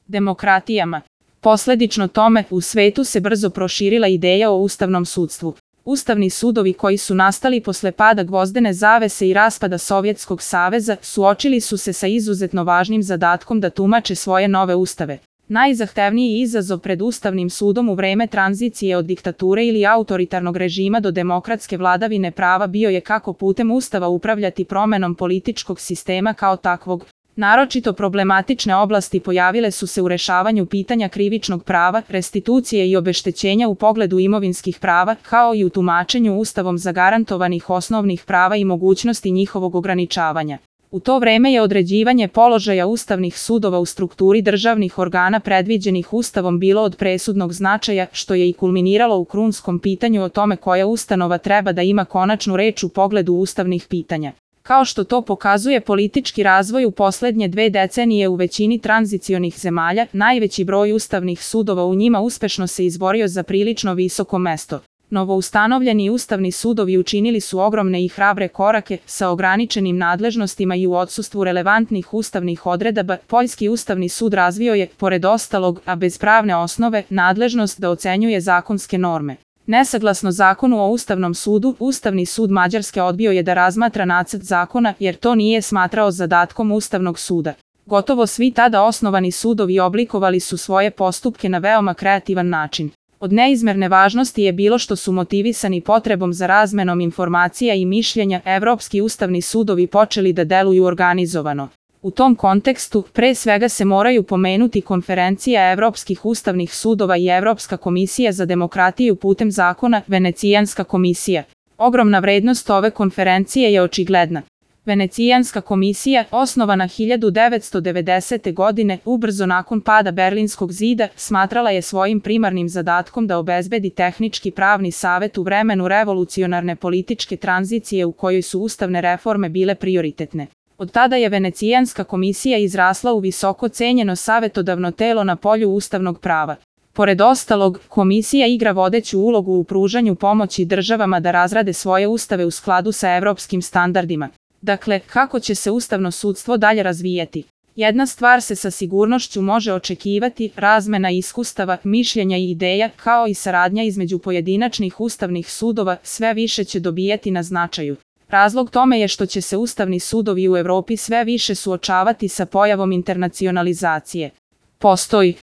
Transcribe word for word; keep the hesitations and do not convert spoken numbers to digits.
demokratijama. Posledično tome, u svetu se brzo proširila ideja o ustavnom sudstvu. Ustavni sudovi koji su nastali posle pada gvozdene zavese i raspada Sovjetskog saveza suočili su se sa izuzetno važnim zadatkom da tumače svoje nove ustave. Najzahtevniji izazov pred Ustavnim sudom u vreme tranzicije od diktature ili autoritarnog režima do demokratske vladavine prava bio je kako putem Ustava upravljati promenom političkog sistema kao takvog. Naročito problematične oblasti pojavile su se u rešavanju pitanja krivičnog prava, restitucije i obeštećenja u pogledu imovinskih prava, kao i u tumačenju Ustavom zagarantovanih osnovnih prava i mogućnosti njihovog ograničavanja. U to vreme je određivanje položaja ustavnih sudova u strukturi državnih organa predviđenih Ustavom bilo od presudnog značaja, što je i kulminiralo u krunskom pitanju o tome koja ustanova treba da ima konačnu reč u pogledu ustavnih pitanja. Kao što to pokazuje politički razvoj u poslednje dve decenije u većini tranzicionih zemalja, najveći broj ustavnih sudova u njima uspešno se izborio za prilično visoko mesto. Novoustanovljeni ustavni sudovi učinili su ogromne i hrabre korake sa ograničenim nadležnostima i u odsustvu relevantnih ustavnih odredaba. Poljski ustavni sud razvio je, pored ostalog, a bez pravne osnove, nadležnost da ocenjuje zakonske norme. Nesaglasno zakonu o Ustavnom sudu, Ustavni sud Mađarske odbio je da razmatra nacrt zakona jer to nije smatrao zadatkom Ustavnog suda. Gotovo svi tada osnovani sudovi oblikovali su svoje postupke na veoma kreativan način. Od neizmerne važnosti je bilo što su motivisani potrebom za razmenom informacija i mišljenja, evropski ustavni sudovi počeli da deluju organizovano. U tom kontekstu, pre svega se moraju pomenuti Konferencija evropskih ustavnih sudova i Evropska komisija za demokratiju putem zakona, Venecijanska komisija. Ogromna vrednost ove konferencije je očigledna. Venecijanska komisija, osnovana hiljadu devetsto devedesete. godine, ubrzo nakon pada Berlinskog zida, smatrala je svojim primarnim zadatkom da obezbedi tehnički pravni savet u vremenu revolucionarne političke tranzicije u kojoj su ustavne reforme bile prioritetne. Od tada je Venecijanska komisija izrasla u visoko cenjeno savetodavno telo na polju ustavnog prava. Pored ostalog, komisija igra vodeću ulogu u pružanju pomoći državama da razrade svoje ustave u skladu sa evropskim standardima. Dakle, kako će se ustavno sudstvo dalje razvijati? Jedna stvar se sa sigurnošću može očekivati, razmena iskustava, mišljenja i ideja, kao i saradnja između pojedinačnih ustavnih sudova, sve više će dobijati na značaju. Razlog tome je što će se ustavni sudovi u Evropi sve više suočavati sa pojavom internacionalizacije. Postoji